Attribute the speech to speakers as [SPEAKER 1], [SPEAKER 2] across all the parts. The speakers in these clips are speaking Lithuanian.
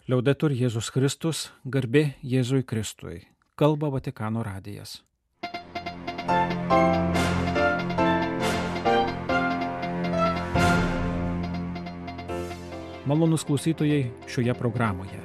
[SPEAKER 1] Liaudetur Jėzus Kristus, garbė Jėzui Kristui. Kalba Vatikano radijas. Malonūs klausytojai šioje programoje.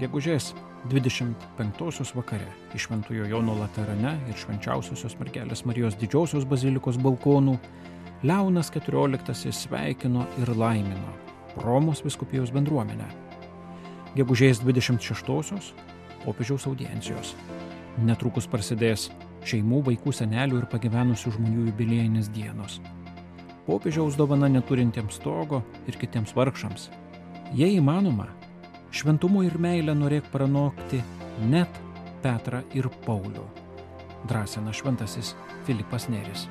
[SPEAKER 1] Gegužės 25 vakare iš Šventojo Jono Laterane ir Švenčiausiosios Mergelės Marijos Didžiosios bazilikos balkonų Leonas XIV sveikino ir laimino Romos vyskupijos bendruomenę. Gegužės 26 popiežiaus audiencijos. Netrukus prasidės šeimų, vaikų, senelių ir pagyvenusių žmonių jubiliejinės dienos. Popiežiaus dovana neturintiems stogo ir kitiems vargšams. Jei įmanoma, šventumu ir meilę norėk pranokti net Petrą ir Paulių, drąsina šventasis Filipas Neris.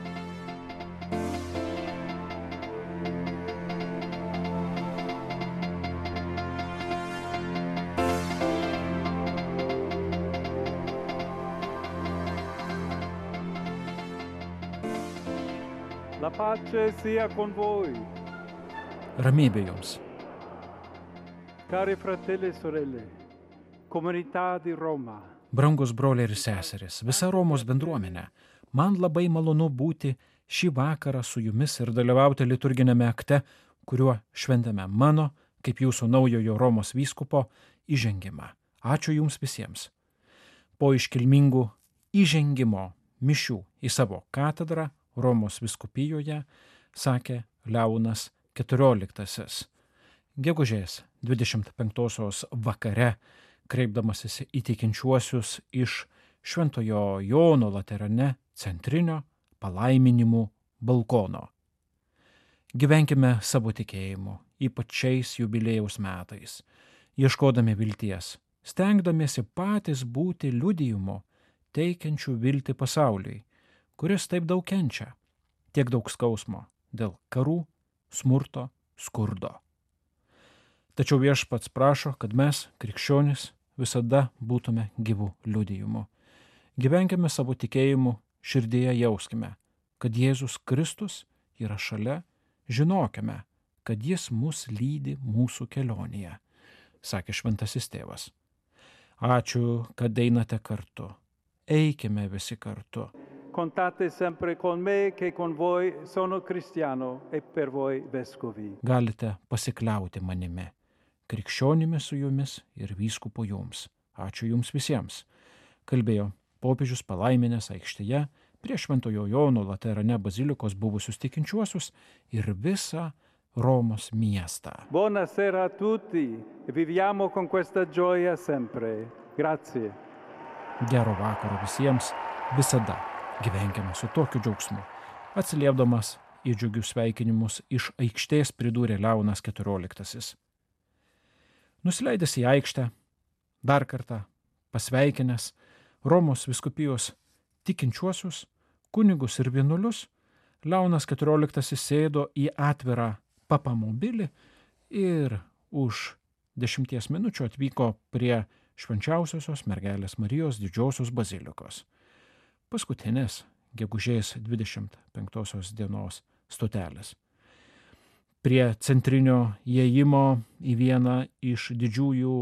[SPEAKER 2] La pace sia con voi.
[SPEAKER 1] Ramybė jums.
[SPEAKER 2] Cari fratelli e sorelle, comunità di Roma.
[SPEAKER 1] Brangus broliai ir seserys, visa Romos bendruomenė, man labai malonu būti šį vakarą su jumis ir dalyvauti liturginėme akte, kuriuo šventėme mano, kaip jūsų naujojo Romos vyskupo, įžengimą. Ačiū jums visiems. Po iškilmingų įžengimo mišių į savo katedrą Romos vyskupijoje, sakė Leonas XIV. Gegužės 25 vakare, kreipdamasis į tikinčiuosius iš Šventojo Jono Laterane centrinio palaiminimų balkono. Gyvenkime savo tikėjimu, ypač šiais jubiliejaus metais, ieškodami vilties, stengdamiesi patys būti liudijimu, teikiančių viltį pasauliui, kuris taip daug kenčia, tiek daug skausmo dėl karų, smurto, skurdo. Tačiau Viešpats prašo, kad mes, krikščionys, visada būtume gyvų liudijimu. Gyvenkime savo tikėjimu, širdyje jauskime, kad Jėzus Kristus yra šalia, žinokime, kad Jis mus lydi mūsų kelionėje, sakė šventasis tėvas. Ačiū, kad einate kartu. Eikime visi kartu.
[SPEAKER 2] Contate sempre con me che con voi sono cristiano e per voi vescovi.
[SPEAKER 1] Galite pasikliauti manimi, krikščionimi su jumis ir vyskupu jums. Ačiū jums visiems. Kalbėjo popiežius palaiminęs aikštėje prie Šventojo Jono Laterane bazilikos buvusius tikinčiuosius ir visą Romos miestą.
[SPEAKER 2] Buonasera a tutti e viviamo con questa gioia sempre. Grazie.
[SPEAKER 1] Gero vakaro visiems, visada gyvenkime su tokiu džiaugsmu. Atsiliepdamas į džiugius sveikinimus iš aikštės pridūrė Leonas XIV. Nusileidęs į aikštę, dar kartą pasveikinęs Romos vyskupijos tikinčiuosius, kunigus ir vienuolius, Leonas XIV sėdo į atvirą papamobilį ir už 10 minučių atvyko prie Švenčiausiosios Mergelės Marijos Didžiosios bazilikos. Paskutinės gegužės 25 dienos stotelės. Prie centrinio įėjimo į vieną iš didžiųjų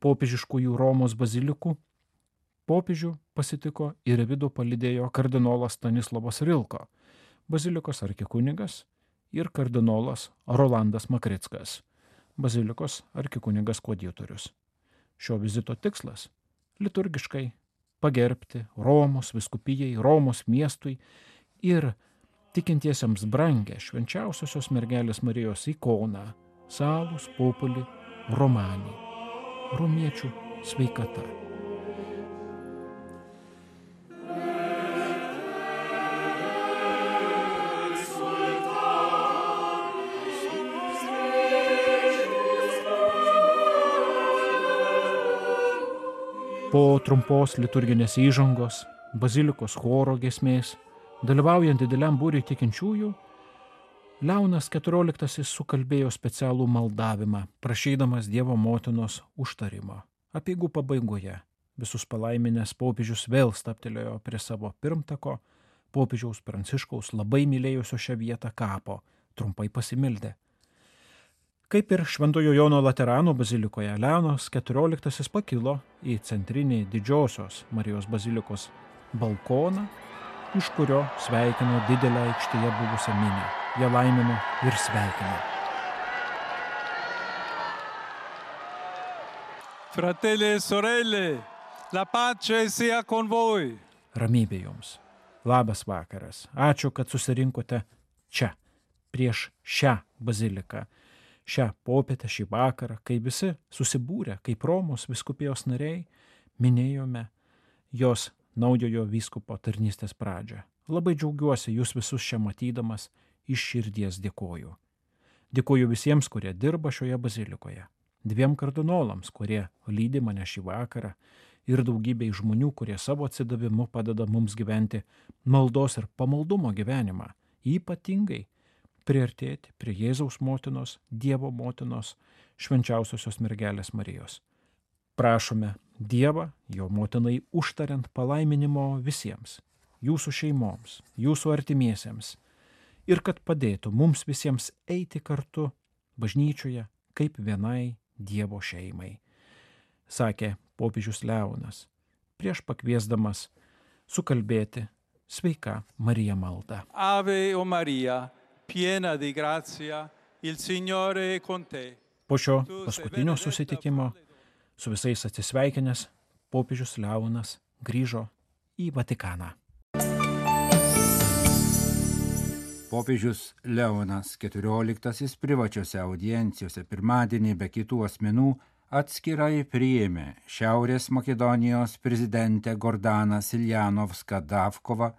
[SPEAKER 1] popiežiškųjų Romos bazilikų popiežių pasitiko ir į vidų palydėjo kardinolas Stanislavas Rilko, bazilikos arkikunigas ir kardinolas Rolandas Makrickas, bazilikos arkikunigas koadjutorius. Šio vizito tikslas – liturgiškai pagerbti Romos vyskupijai, Romos miestui ir tikintiesiems brangę Švenčiausiosios Mergelės Marijos ikoną Salus Populi Romani, romiečių sveikata. Po trumpos liturginės įžangos, bazilikos choro giesmės, dalyvaujant dideliam būriui tikinčiųjų, Leonas XIV sukalbėjo specialų maldavimą, prašydamas Dievo motinos užtarimo. Apeigų pabaigoje visus palaiminęs popiežius vėl stabtelėjo prie savo pirmtako, popiežiaus Pranciškaus labai mylėjusio šią vietą kapo, trumpai pasimildė. Kaip ir Šventojo Jono Laterano bazilikoje, Leonas XIV pakilo į centrinį Didžiosios Marijos bazilikos balkoną, iš kurio sveikino didelę aikštėje buvusią minią. Jie laimino ir sveikino.
[SPEAKER 2] Fratelli e sorelle, la pace sia con voi.
[SPEAKER 1] Ramybė jums. Labas vakaras. Ačiū, kad susirinkote čia, prieš šią baziliką, šią popietę, šį vakarą, kai visi susibūrę, kaip Romos vyskupijos nariai, minėjome jos naujojo vyskupo tarnystės pradžią. Labai džiaugiuosi jūs visus čia matydamas, iš širdies dėkoju. Dėkoju visiems, kurie dirba šioje bazilikoje, 2 kardinolams, kurie lydi mane šį vakarą, ir daugybei žmonių, kurie savo atsidavimu padeda mums gyventi maldos ir pamaldumo gyvenimą, ypatingai priartėti prie Jėzaus motinos, Dievo motinos, švenčiausiosios mergelės Marijos. Prašome Dievą, jo motinai užtariant palaiminimo visiems, jūsų šeimoms, jūsų artimiesiems, ir kad padėtų mums visiems eiti kartu bažnyčioje kaip vienai Dievo šeimai, sakė popiežius Leonas, prieš pakviesdamas sukalbėti Sveika Marija maldą.
[SPEAKER 2] Ave o Maria, piena di grazia, il Signore è con te.
[SPEAKER 1] Po šio paskutinio susitikimo su visais atsisveikinęs, popiežius Leonas grįžo į Vatikaną.
[SPEAKER 3] Popiežius Leonas XIV privačiose audiencijose pirmadienį be kitų asmenų atskirai priėmė Šiaurės Makedonijos prezidentę Gordaną Siljanovską Davkovą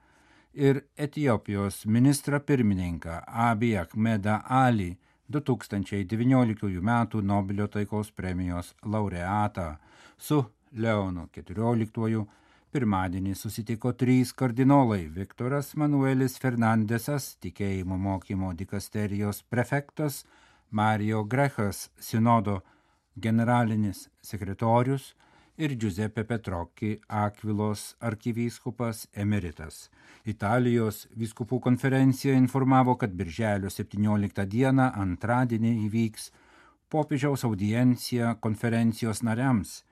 [SPEAKER 3] ir Etiopijos ministrą pirmininką Abiy Ahmedą Ali, 2019 m. Nobelio taikos premijos laureatą. Su Leonu XIV pirmadienį susitiko 3 kardinolai: Viktoras Manuelis Fernandesas, tikėjimo mokymo dikasterijos prefektas, Mario Grechas, sinodo generalinis sekretorius, ir Giuseppe Petrocchi, Akvilos arkivyskupas emeritas. Italijos vyskupų konferencija informavo, kad birželio 17 dieną antradienį įvyks popiežiaus audiencija konferencijos nariams.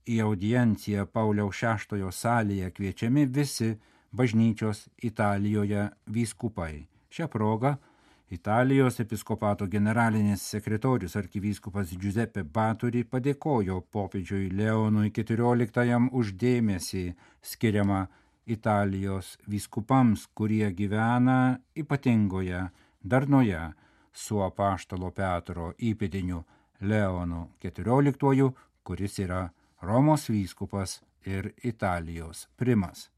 [SPEAKER 3] Į audienciją Pauliaus VI salėje kviečiami visi bažnyčios Italijoje vyskupai. Šią progą Italijos episkopato generalinis sekretorius arkivyskupas Giuseppe Baturi padėkojo popiežiui Leonui XIV už dėmesį skiriamą Italijos vyskupams, kurie gyvena ypatingoje darnoje su apaštalo Petro įpėdiniu Leonu XIV, kuris yra Romos vyskupas ir Italijos primas.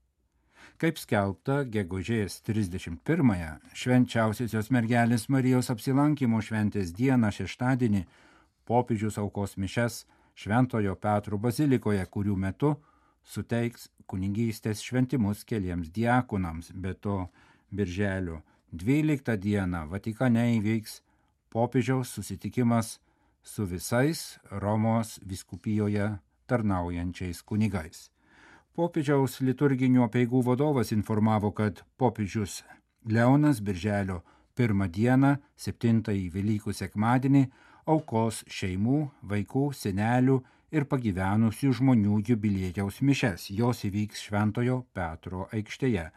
[SPEAKER 3] Kaip skelbta, gegužės 31-ąją švenčiausiosios mergelės Marijos apsilankymo šventės dieną šeštadienį popiežius aukos mišias Šventojo Petro bazilikoje, kurių metu suteiks kunigystės šventimus keliems diakonams. Be to, birželio 12 dieną Vatikane įvyks popiežiaus susitikimas su visais Romos vyskupijoje tarnaujančiais kunigais. Popiežiaus liturginių apeigų vadovas informavo, kad popiežius Leonas birželio 1 dieną, 7-ąjį Velykų sekmadienį, aukos šeimų, vaikų, senelių ir pagyvenusių žmonių jubiliejaus mišias. Jos įvyks Šventojo Petro aikštėje.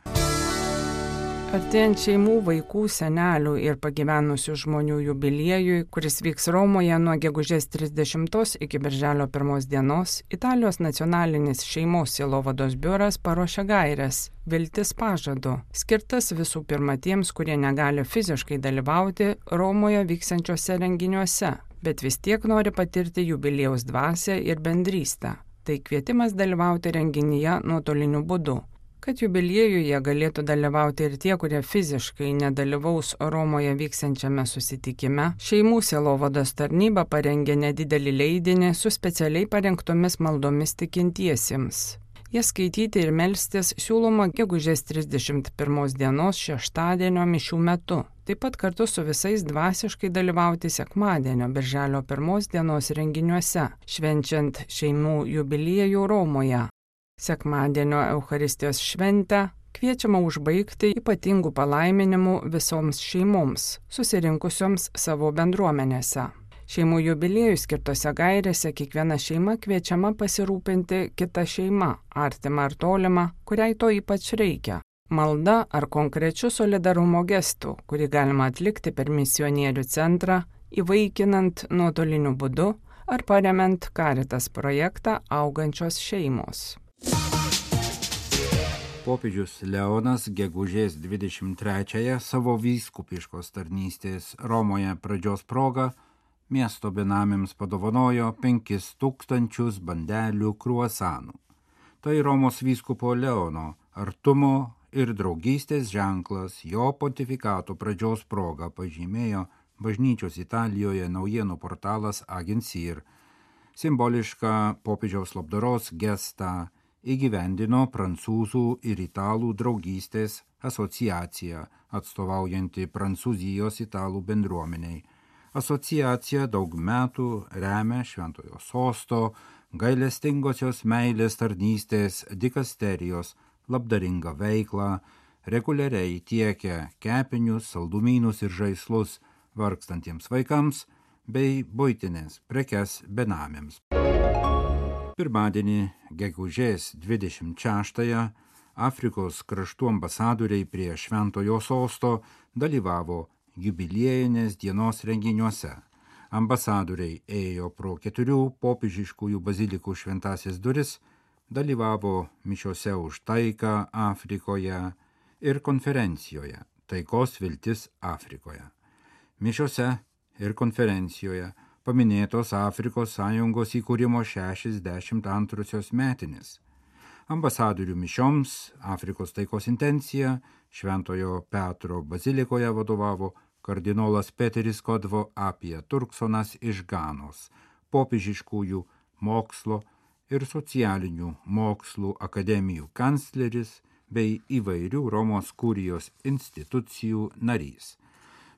[SPEAKER 4] Artėjant šeimų, vaikų, senelių ir pagyvenusių žmonių jubiliejui, kuris vyks Romoje nuo gegužės 30 iki birželio 1 dienos, Italijos nacionalinis šeimos sielovados biuras paruošė gaires Viltis pažadu, skirtas visų pirma tiems, kurie negali fiziškai dalyvauti Romoje vyksiančiuose renginiuose, bet vis tiek nori patirti jubiliejaus dvasią ir bendrystę. Tai kvietimas dalyvauti renginyje nuotoliniu būdu. Kad jubiliejuje galėtų dalyvauti ir tie, kurie fiziškai nedalyvaus Romoje vyksiančiame susitikime, šeimų sielovados tarnyba parengė nedidelį leidinį su specialiai parengtomis maldomis tikintiesiems. Jas skaityti ir melstis siūloma gegužės 31 dienos šeštadienio mišių metu. Taip pat kartu su visais dvasiškai dalyvauti sekmadienio birželio 1 dienos renginiuose, švenčiant šeimų jubiliejų Romoje. Sekmadienio Eucharistijos šventę kviečiama užbaigti ypatingų palaiminimų visoms šeimoms, susirinkusioms savo bendruomenėse. Šeimų jubiliejų skirtose gairėse kiekviena šeima kviečiama pasirūpinti kitą šeimą, artimą ar tolimą, kuriai to ypač reikia. Malda ar konkrečiu solidarumo gestu, kurį galima atlikti per misionierių centrą, įvaikinant nuotoliniu būdu ar paremiant Caritas projektą Augančios šeimos.
[SPEAKER 3] Popiežius Leonas gegužės 23-ąją savo vyskupiškos tarnystės Romoje pradžios proga miesto benamiams padovanojo 5000 bandelių kruasanų. Tai Romos vyskupo Leono artumo ir draugystės ženklas jo pontifikato pradžios proga, pažymėjo bažnyčios Italijoje naujienų portalas Agencir. Simbolišką popiežiaus labdaros gestą įgyvendino prancūzų ir italų draugystės asociacija, atstovaujanti Prancūzijos italų bendruomeniai. Asociacija daug metų remia Šventojo Sosto gailestingosios meilės tarnystės dikasterijos labdaringą veiklą, reguliariai tiekia kepinius, saldumynus ir žaislus vargstantiems vaikams bei buitinės prekes benamiams. Pirmadienį, gegužės 26-ąją, Afrikos kraštų ambasadoriai prie Šventojo Sosto dalyvavo jubiliejinės dienos renginiuose. Ambasadoriai ėjo pro 4 popiežiškųjų bazilikų šventąsias duris, dalyvavo mišiose už taiką Afrikoje ir konferencijoje Taikos viltis Afrikoje. Mišiose ir konferencijoje paminėtos Afrikos sąjungos įkūrimo 62 metinės. Ambasadorių mišioms Afrikos taikos intencija Šventojo Petro bazilikoje vadovavo kardinolas Peteris Kodvo Apija Turksonas iš Ganos, popiežiškųjų mokslo ir socialinių mokslų akademijų kancleris bei įvairių Romos kurijos institucijų narys.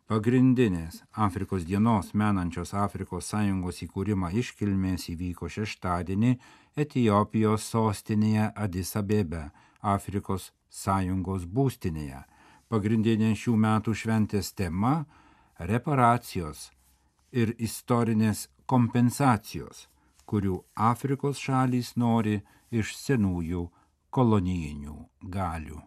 [SPEAKER 3] Pagrindinės Afrikos dienos menančios Afrikos sąjungos įkūrimą iškilmės įvyko šeštadienį Etiopijos sostinėje Adis Abebe, Afrikos sąjungos būstinėje. Pagrindinė šių metų šventės tema – reparacijos ir istorinės kompensacijos, kurių Afrikos šalys nori iš senųjų kolonijinių galių.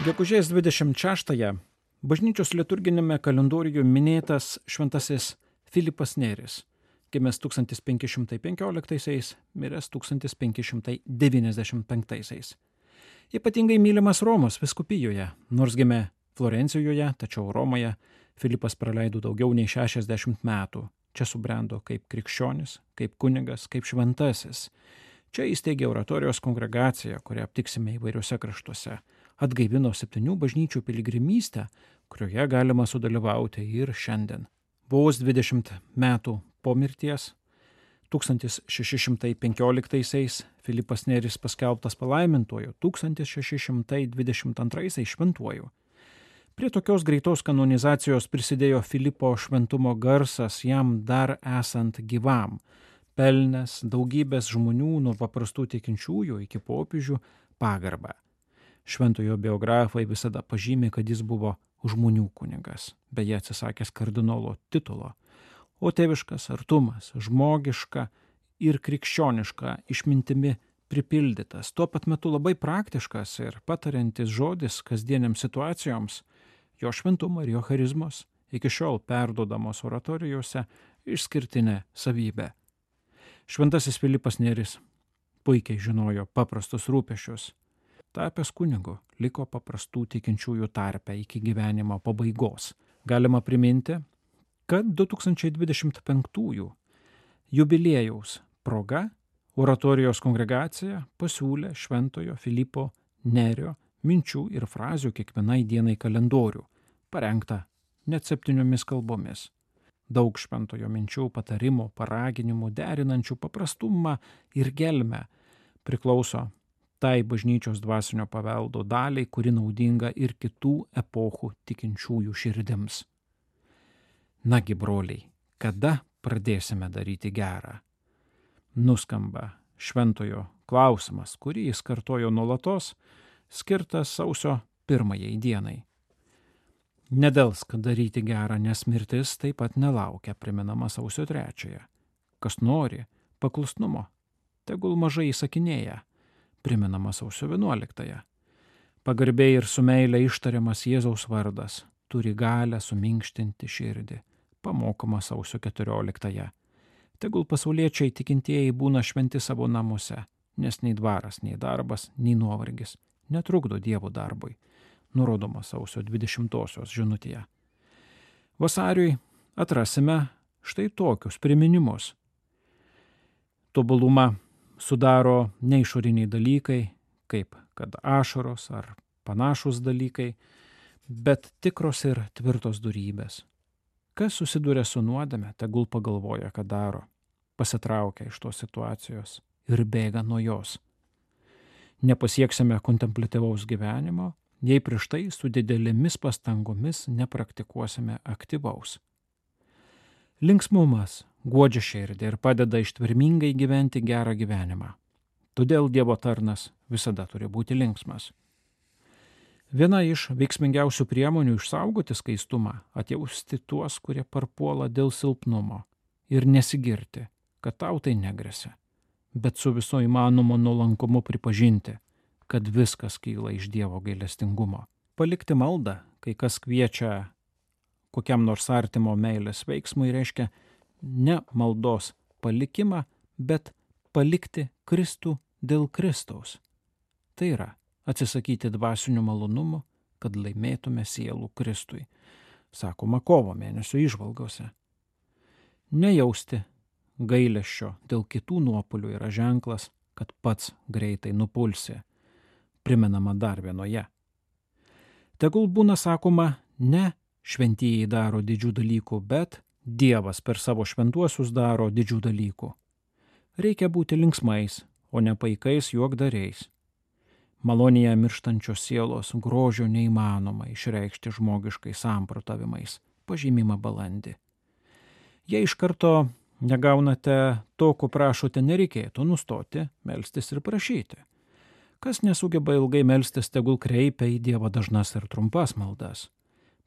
[SPEAKER 1] Gegužės 26-ąją bažnyčios liturginėme kalendoriuje minėtas šventasis Filipas Neris, gimęs 1515, miręs 1595. Ypatingai mylimas Romos vyskupijoje, nors gimė Florencijoje, tačiau Romoje Filipas praleido daugiau nei 60 metų. Čia subrendo kaip krikščionis, kaip kunigas, kaip šventasis. Čia įsteigė oratorijos kongregaciją, kurią aptiksime įvairiuose kraštuose. Atgaivino 7 bažnyčių piligrimystę, kurioje galima sudalyvauti ir šiandien. Vos 20 metų po mirties, 1615 Filipas Neris paskelbtas palaimintuoju, 1622 šventuoju. Prie tokios greitos kanonizacijos prisidėjo Filipo šventumo garsas jam dar esant gyvam, pelnęs daugybės žmonių nuo paprastų tikinčiųjų iki popiežių pagarbą. Šventojo biografai visada pažymė, kad jis buvo žmonių kunigas, beje atsisakęs kardinolo titulo, o tėviškas artumas, žmogiška ir krikščioniška išmintimi pripildytas, tuo pat metu labai praktiškas ir patariantis žodis kasdieniams situacijoms, jo šventumo ir jo charizmos iki šiol perduodamos oratorijose išskirtinė savybė. Šventasis Filipas Neris puikiai žinojo paprastus rūpesčius. Tapęs kunigu liko paprastų tikinčiųjų tarpe iki gyvenimo pabaigos. Galima priminti, kad 2025 jubiliejaus proga oratorijos kongregacija pasiūlė Šventojo Filipo Nerio minčių ir frazių kiekvienai dienai kalendorių, parengtą net 7 kalbomis. Daug šventojo minčių, patarimų, paraginimų, derinančių paprastumą ir gelmę priklauso tai bažnyčios dvasinio paveldo daliai, kuri naudinga ir kitų epochų tikinčiųjų širdims. Nagi, broliai, kada pradėsime daryti gerą? Nuskamba šventojo klausimas, kurį jis kartojo nuolatos, skirtas sausio 1 dienai. Nedelsk daryti gerą, nes mirtis taip pat nelaukia, priminama sausio 3. Kas nori paklusnumo, tegul mažai įsakinėja, priminama sausio 11. Pagarbiai ir su meile ištariamas Jėzaus vardas turi galę suminkštinti širdį, pamokoma sausio 14. Tegul pasauliečiai tikintieji būna šventi savo namuose, nes nei dvaras, nei darbas, nei nuovargis netrukdo Dievo darbui, nurodoma sausio 20 žinutėje. Vasariui atrasime štai tokius priminimus. Tobulumą sudaro ne išoriniai dalykai, kaip kad ašaros ar panašus dalykai, bet tikros ir tvirtos dorybės. Kas susiduria su nuodėme, tegul pagalvoja, ką daro, pasitraukia iš tos situacijos ir bėga nuo jos. Nepasieksime kontempliatyvaus gyvenimo, jei prieš tai su didelėmis pastangomis nepraktikuosime aktyvaus. Linksmumas guodžia širdį ir padeda ištvermingai gyventi gerą gyvenimą. Todėl Dievo tarnas visada turi būti linksmas. Viena iš veiksmingiausių priemonių išsaugoti skaistumą - atjausti tuos, kurie parpuola dėl silpnumo ir nesigirti, kad tau tai negresia, bet su viso įmanomo nuolankumu pripažinti, kad viskas kyla iš Dievo gailestingumo. Palikti maldą, kai kas kviečia kokiam nors artimo meilės veiksmui, reiškia ne maldos palikimą, bet palikti Kristų dėl Kristaus. Tai yra atsisakyti dvasinių malonumų, kad laimėtume sielų Kristui, sakoma kovo mėnesio įžvalgose. Nejausti gailesčio dėl kitų nuopuolių yra ženklas, kad pats greitai nupulsi, primenama dar vienoje. Tegul būna sakoma, ne šventieji daro didžių dalykų, bet Dievas per savo šventuosius daro didžių dalykų. Reikia būti linksmais, o ne paikais juokdariais. Malonėje mirštančios sielos grožio neįmanoma išreikšti žmogiškais samprotavimais, pažymima balandį. Jei iš karto negaunate to, ko prašote, nereikėtų nustoti melstis ir prašyti. Kas nesugeba ilgai melstis, tegul kreipia į Dievą dažnas ir trumpas maldas.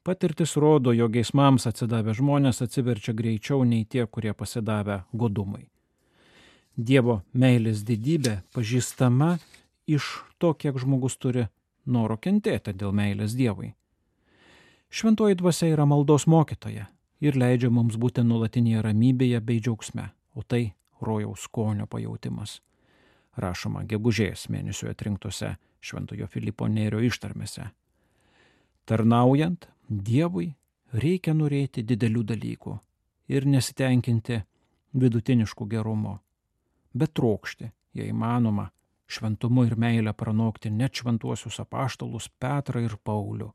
[SPEAKER 1] Patirtis rodo, jog geismams atsidavę žmonės atsiverčia greičiau nei tie, kurie pasidavę godumui. Dievo meilės didybė pažįstama iš to, kiek žmogus turi noro kentėti dėl meilės Dievui. Šventoji dvasia yra maldos mokytoja ir leidžia mums būti nuolatinėje ramybėje bei džiaugsme, o tai rojaus skonio pajautimas. Rašoma gegužės mėnesio atrinktose Šventojo Filipo Nėrio ištarmėse. Tarnaujant Dievui reikia norėti didelių dalykų ir nesitenkinti vidutiniškų gerumo, bet trokšti, jei įmanoma, šventumu ir meilę pranokti net šventuosius apaštalus Petrą ir Paulių.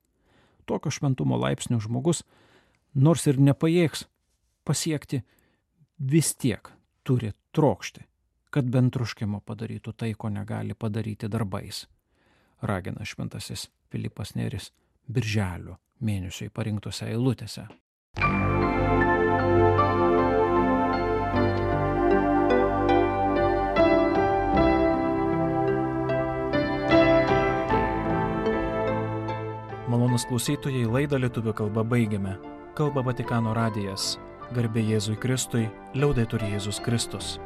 [SPEAKER 1] Tokio šventumo laipsnio žmogus, nors ir nepajėgs pasiekti, vis tiek turi trokšti, kad bent troškimo padarytų tai, ko negali padaryti darbais, ragina šventasis Filipas Nėris birželio mėnesiui parinktose eilutėse.
[SPEAKER 5] Malonūs klausytojai, laidą lietuvių kalba baigiame. Kalba Vatikano radijas. Garbė Jėzui Kristui, liaudetur Jėzus Kristus.